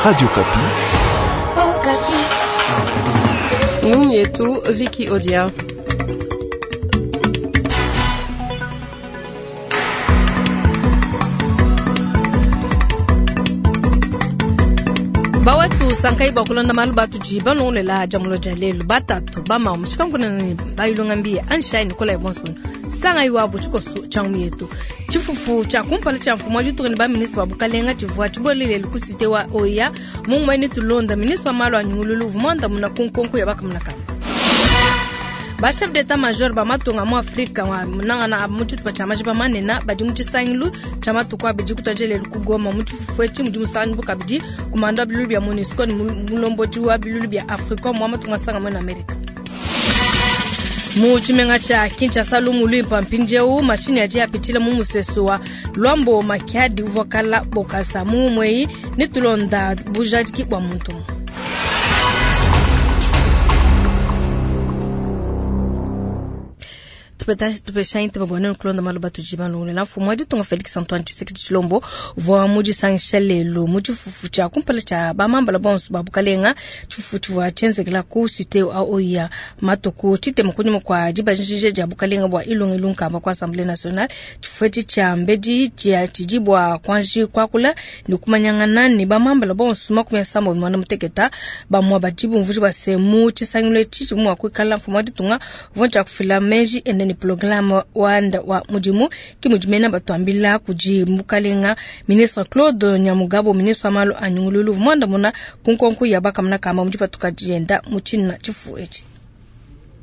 Radio Okapi. Ngumu yetu Vicky Odia. Bawatu sankai bakulonda malu batudi balongolela jamulo dia lelu batatu bama mushikankunana bayilonga mbiye anshai nikolai bonson sangai wabu tshikoso tshia ngumu yetu tshifufu tshia kumpala tshia mfumu wa ditunga ne baministre ba bukalenga tshivua tshibuele lelu ku cité wa oya mungumue ne tulonda ministre wa malu a nyungululu uvua muandamuna ku nkonko ya bakamuna kamba. Ba chef d'etat major ba matunga mu Afrika wa nangana mu tshitupa tshia majiba manene badi mu tshisangilu tshia matuku abidi kutuadija lelu ku Goma. Mu tshifufu etshi mudi musangibu kabidi kumanda wa bilulu bia MONUSCO ne mulombodi wa bilulu bia Africom wa matunga masanga muena Amerika. Mu tshimenga tshia Kinshasa, lumu luimpa mpindieu mashinyi adi apitshila mu musesu wa Luambo Makiadi uvua kala Bokasa mu mweyi ne tulonda bujadiki bua muntu. Tupesha ntema bua nenu kulonda malu batudi balongolela. Mfumu wa ditunga Felix Antoine Tshisekedi Tshilombo uvua mudisangisha lelu mu tshifufu tshia kumpala tshia bamambala bonso ba bukalenga. Tshifufu tshivua tshienzekela ku cité wa Oya matuku tshitema kunyima kua dibanjija dia bukalenga bua Ilunga Ilunkamba ku Assemblée nationale. Tshifufu etshi tshia mbedi tshidi bua kuanji kuakula ne kumanyangana ne bamambala bonso 31. Bamue badi bumvuija bua se mu tshisangilu etshi tshivua mua kuikala mfumu wa ditunga uvua tshia kufila meji ende ne programme wanda wa mudimu. Ke mudi mena batuambila kudi mukalenga ministre Claude Nyamugabo, ministre wa malu a nyungululu, uvua muandamuna ku nkonko ya bakamuna kamba mu dipatuka dienda mu tshina tshifufu etshi.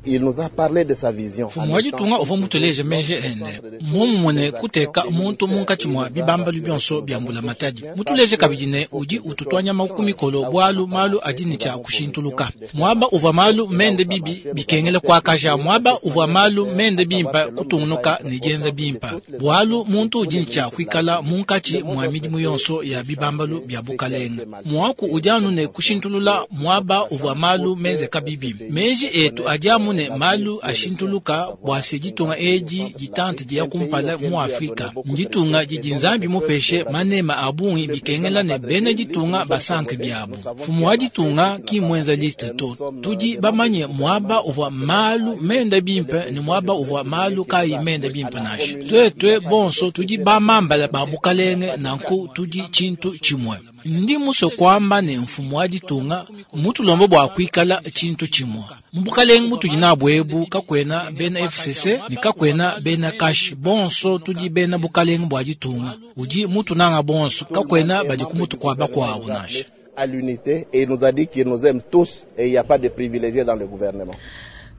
Il nous a parlé de sa vision. Mfumu wa ditunga uvua mutuleje meji ende muomumue ne kuteka muntu munkatshi mua bibambalu bionso bia mbulamatadi. Mutuleje kabidi ne udi ututua nyama ku mikolo bualu malu adi ne tshia kushintuluka. Muaba uvua malu mende bibi bikengela kuakaja, muaba uvua malu mende bimpe kutungunuka ne dienza bimpe, bualu muntu udi ne tshia kuikala munkatshi mua midimu yonso ya bibambalu bia bukalenga. Muaku udi anu ne kushintulula muaba uvua malu menzeka bibi. Meji etu adi amu ne malu ashintuluka bua se ditunga edi ditante dia kumpala mu Afrika. Nditunga didi Nzambi mupeshe manema a bungi bikengela ne bena ditunga basanke biabu. Mfumu wa ditunga ki mwenza liste to. Tudi bamanye muaba uvua malu mende bimpe ne muaba uvua malu kayi mende bimpe nansha. Tuetue bonso tudi bamambala ba bukalenge nanku tudi tshintu tshimue. Ndi musue kuamba ne mfumu wa ditunga mutulombe bua kuikala tshintu tshimue. Mu bukalenge mutudi nabu ebu kakuena bena FCC ne kakuena bena CACH, bonso tudi bena bukalenge bua ditunga. Udi mutunanga bonso, kakuena badi ku mutu kua bakuabu nansha. À l'unité, et il nous a dit qu'il nous aime tous et il n'y a pas de privilégiés dans le gouvernement.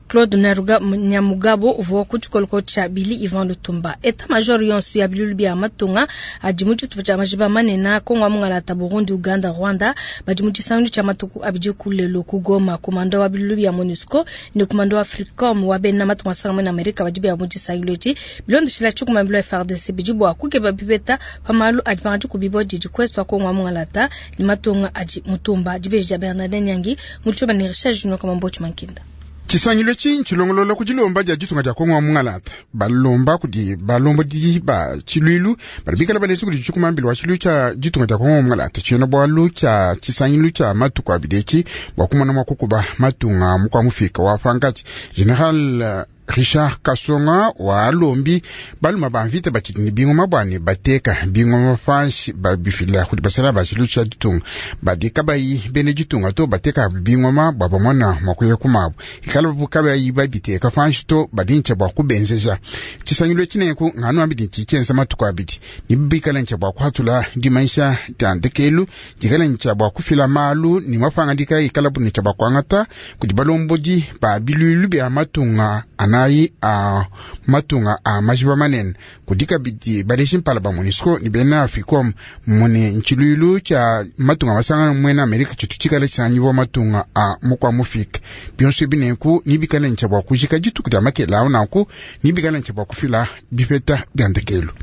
Claude Nyamugabo uvua ku tshikoloko tshia Billy Ivan Lutumba. Etat major yonso ya bilulu bia matunga adi mu tshitupa tshia majiba manene Kongo Mungalata, Burundi, Uganda, Rwanda badi mu tshisangilu tshia matuku abidi ku lelu ku Goma. Komanda wa bilulu bia MONUSCO ne komanda wa Africom wa bena matunga masanga mu Amerika badi bia mu tshisangilu etshi bilondeshila tshikumambilo ya FARDC bidi bua kukeba bipeta pa malu adi pangadi kubibua didi kwestu wa Kongo Mungalata ne matunga adi mutumba. Dibeji dia Bernardin Nyangi mu tshiba ne Richard Junior Kamambochi Mankinda. Tshisangilu etshi ntshilongolola ku dilomba dia ditunga dia Kongo wa Mungalata. Balomba kudi balombodi ba tshiluilu badi bikala baleji kudi tshikumambila wa tshiluilu tshia ditunga dia Kongo wa Mungalata. Tshiena bualu tshia tshisangilu tshia matuku abidi etshi bua kumona mua kukuba matunga mukua mufika wa pankatshi. General Richard Kasonga wa alombi baluma ba mvita batshidi ne bingoma bua ne bateka bingoma panshi babifila kudi basala ba tshiluilu tshia ditunga badi kabayi bena ditunga to bateka bingoma bua bamona mua kuya kumabu ikala babu kabayi babiteka panshi to badi ntshia bua kubenzeja. Tshisangilu etshi nenku nganu abidi ntshitshienza matuku abidi ne bikala ntshia bua kuhatula dimanyisha dia ndekelu dikala ntshia bua kufila malu ne mapangadika ikala bu ntshia bua kuangata kudi balombodi ba biluilu bia matunga anayi a matunga a majiba manene kudi kabidi baleji mpala ba MONUSCO ne bena Africom mune ntshiluilu tshia matunga masanga muena Amerika tshitu tshikala tshisangiwa matunga a mukua mufika. Bionso ebi nenku nibikala ntshia bua kujika dituku dia makela awu nanku nibikala ntshia bua kufila bipeta bia ndekelu.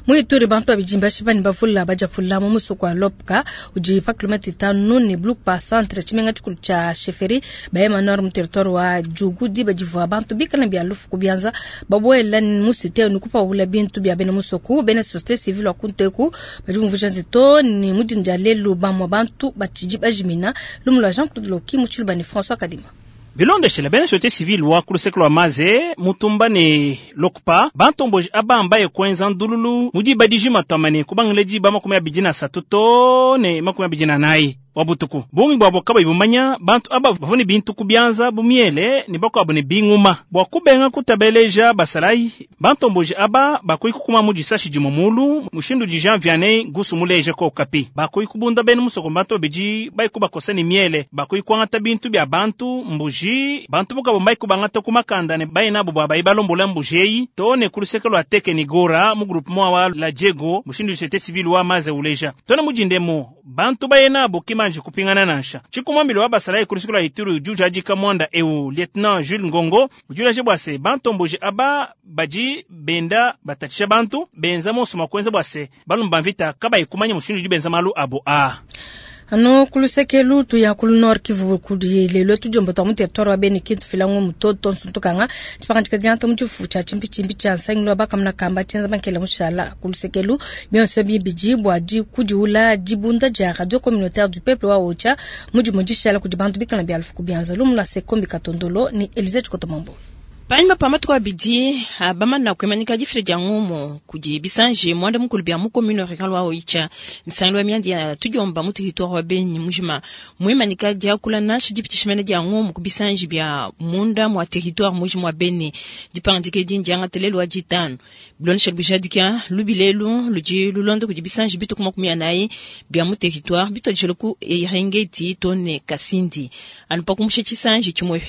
Mu Ituri bantu babidi mbashipa ne bavula badiapula mu musoko wa Lopka udi pa kilomètre 5 ne Blukpa centre tshimenga tshikulu tshia chefferie Bayema Nord mu territoire wa Djugu diba divua bantu bikala bia lufu ku bianza babuela mu cité ne kupawula bintu bia bena musoko. Bena société civile wa kunteku badi bumvuija nzito ne mu dinda dia lelu bamue bantu batshidi bajimina. Lumu lua Jean Claude Loki mu Tshiluba ne François Kadima. Bilondeshile bena société civile wa ku luseke lua Maze Mutumba ne Lokpa bantomboji aba mbaye kuenza ndululu mu diba dijima twamane kubangila diba 23 to ne 24 wa butuku. Bungi bwabo kabayi bumanya bantu aba bavua ne bintu ku bianza bu miele ne bakuabu ne binguma bua kubenga kutabeleja basalayi. Bantomboji aba bakuyi kukuma mu disashi dimue mulu mushindu di Jean Vianney Gusu muleja ko Okapi. Bakuyi kubunda bena musoko bantu babidi bayi kubakosa ne miele, bakuyi kuangata bintu bia bantu mbuji, bantu bukabu mbayi kubangata ku makanda ne bayi nabo bua bayi balombola mbuji eyi to ne ku luseke lua Teke ni Gora mu groupement wa la Diego mushindu société civile wa Maze uleja. Tona mujindemo bantu baye nabo kimanji kupingana nansha. Chikumambilo wa basalayi ku luseke lua Ituri udi ujadika mwanda eu Lieutenant Jules Ngongo udi uleja bua se bantomboji aba badi benda batatshisha bantu benza monso mua kuenza bua se balumba mvita kabayi kumanya mushindu udi benza malu abo a. Ano kulusekelu tuya kulu Nord Kivu kudi lelo tujombo twa mu territoire wa Beni kintu filango mutoto nsuntukanga tshipangandika dianta mu tshifu tshia tshimpitshimpi tshia nsangilu bakamuna kamba tshienza bankela mushala kulusekelu bionso bibidi bua di kudiula dibunda dia radio communautaire du peuple wa Ocha mudimu dishala kudi bantu bikala bia lufu kubianza lumu lua Sekombi Katondolo ni Elise Chikotomombo. Panyima pa matuku abidi abamana kuimanyika difila dia ngumu kudi bisanji mwanda mukulu bia mu commune rurale wa Oicha nsangilu wa mianda ya tudiomba mu territoire wa Beni mujima muimanyika diakula nansha dipitishimene dia ngumu ku bisanji bia munda mwa territoire mujima wa Beni dipangandika edi ndiangata lelu wa ditanu bilondesha bujadika lubilelu ludi lulonda kudi bisanji bituku 40 bia mu territoire bituadijile ku Eringeti to ne Kasindi anu pa kumusha tshisanji tshimue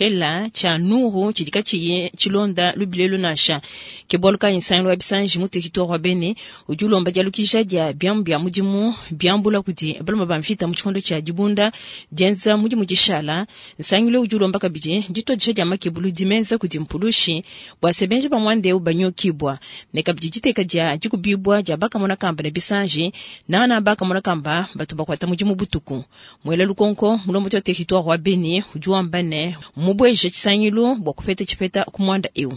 tshia Nuru tshidi katshiyi tshilonda lubilelu nansha ke bwalu kayi nsangilu wa bisanji mu territoire wa Beni udi ulomba dialukisha dia biamu bia mudimu biambula kudi baluma ba mvita mu tshikondo tshia dibunda dienza mudimu dishala nsangilu udi ulomba kabidi dituadisha dia makebulu dimenza kudi mpulushi bua se benji ba mwande banyokibwa ne kabidi diteka dia dikubibwa dia bakamona kamba ne bisanji nana bakamona kamba batu bakwata mudimu butuku mwela lukonko mulombo tshia territoire wa Beni udi wamba ne mubweje tshisangilu bua kupeta tshipeta kumwanda eu.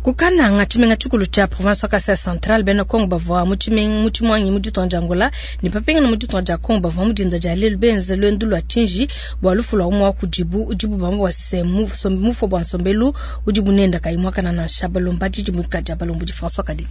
Kukananga tshimenga tshikulu tshia province wa Kasai Central bena Kongo bavua mu tshimwangi mu ditunga dia Angola ne papingana mu ditunga dia Kongo bavua mu dinda dia lelu benze luendu lua tshinji bua lufu lua umue wa kudibu udibu bamba bua se mufua bua nsombelu udi bunenda kayi muakana nansha balomba didimuka dia balombodi François Kadi.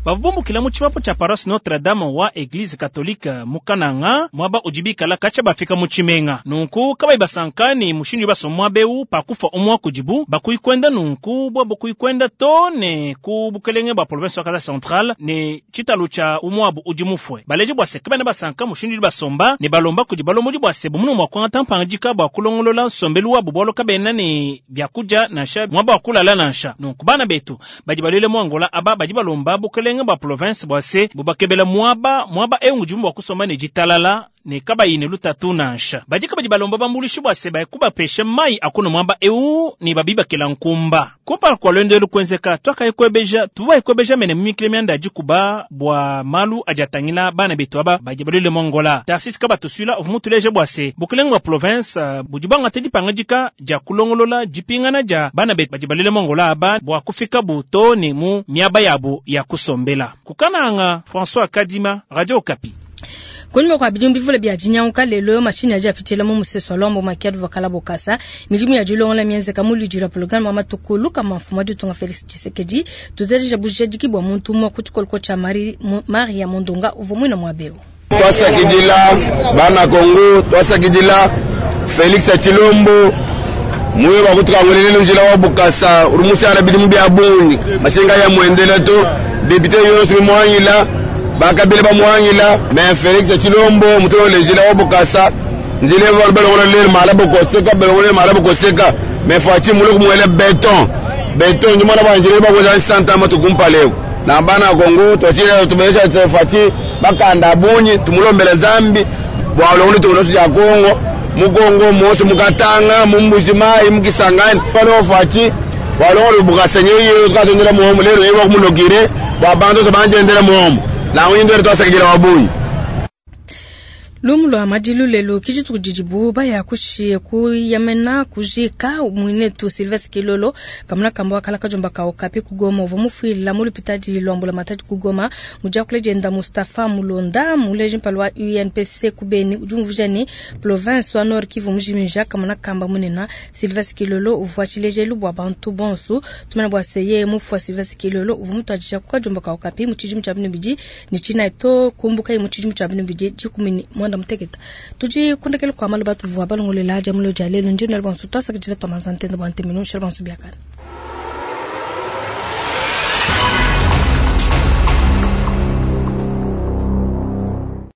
Bavumbukila mu tshipapu tshia paroisse Notre Dame wa Eglise Catholique mu Kananga mwaba udi bikala katsha bafika mu tshimenga nunku kabayi basankani mushindu basomwa beu pakufa umwa kudibu bakuyi kwenda nunku bwa bakuyi kwenda to ne ku bukelenge bwa province wa Kasai Central ne tshitalu tshia umwabu udi mufue baleje bwa se kabana basanka mushindu basomba ne balomba kudi balomodi bwa se bumunu mwa kwangata mpangajika bwa kulongolola nsombelu wabu bwalo kabena ne byakudia nansha mwaba wakulala nansha nunku bana betu badi balele mu Angola aba badi balomba bukelenge ba province bwa se bubakebela mwaba mwaba eungu jumbu wa kusoma ne jitalala ne kabayi ne lutatu nansha badi kabadi balomba bambulishi bwa se bayakubapesha mai akuno mwaba eu ne babibakela nkumba kumpala kwa lwendo elu kwenzeka twakayikwebeja tuwayikwebeja mene mimikile myanda adikuba bwa malu ajatangila bana betu aba badi balwile mu Angola Tarsis kabatuswila ovu mutuleje bwa se bukelenge bwa province budi bwangata dipangajika dia kulongolola dipingana dia bana betu badi balwile mu Angola aba bwa kufika buto ne mu miaba yabo ya kusombela. Kukananga François Kadima, Radio Okapi. Kunyuma kwa bidimu bivule bia dinyanguka lelo mashini aji apitshila mu musesu wa Luambo Makiadi vakala bokasa midimu ya dilongola mienzeka mu ludi lua programme wa matuku lukama mfumu wa ditunga Felix Tshisekedi tuzereja bujadiki bua muntu umue ku tshikoloko tshia Maria Mondonga uvua muina muabeu. Twasakidila bana Kongo, twasakidila Felix Tshilombo muye bakutukangulele njila wa Bukasa urumusiala bidimu bia bungi mashinga ya muendela to député yonso bimwangila bakabila bamwangila mais Felix Tshilombo mutolo njila wa Bukasa nzile balongola lelo mala bokoseka balongola mala bokoseka mais fachi mulo kumwele beton beton nyuma na banjile bakoza santa matukumpaleko na bana Kongo twachile tubesha fachi bakanda bunyi tumulombele zambi bwa longola tunosu ya Kongo mukongo mosi mukatanga mumbuzi mai mukisangani pano fachi Bwalongolo Bukasa nyeye katondela muomu lero yeye wakumunogire bwa bantu banjendela muomu na unyindwele twasakidila wabunyi. Lumu lwa madilu lelo kidituku didibu baya kushi kuyamena kujika mwinetu Sylvestre Kilolo kamuna kamba wakala kajomba kao kapi kugoma uvua mufuila mu lupitadi lwa mbulamatadi kugoma mudiakule dienda Mustapha Mulonda muleji mpala wa UNPC kubeni udi umvuija ne province wa Nord Kivu mujimija kamuna kamba munena Sylvestre Kilolo uvua tshilejelu bua bantu bonso tumana bua seye mufua Sylvestre Kilolo uvua mutuadija ku kajomba kao kapi mu tshidimu tshia binu ni tshina to kumbuka mu tshidimu tshia binu bidi dikumi mwanda muteketa tudi kundekele kwa malu batuvua balongolela dia mulo dia lelo ndi nalwa nsu twasakidila twa manzantende bwa ntemeno shala bansu biakana.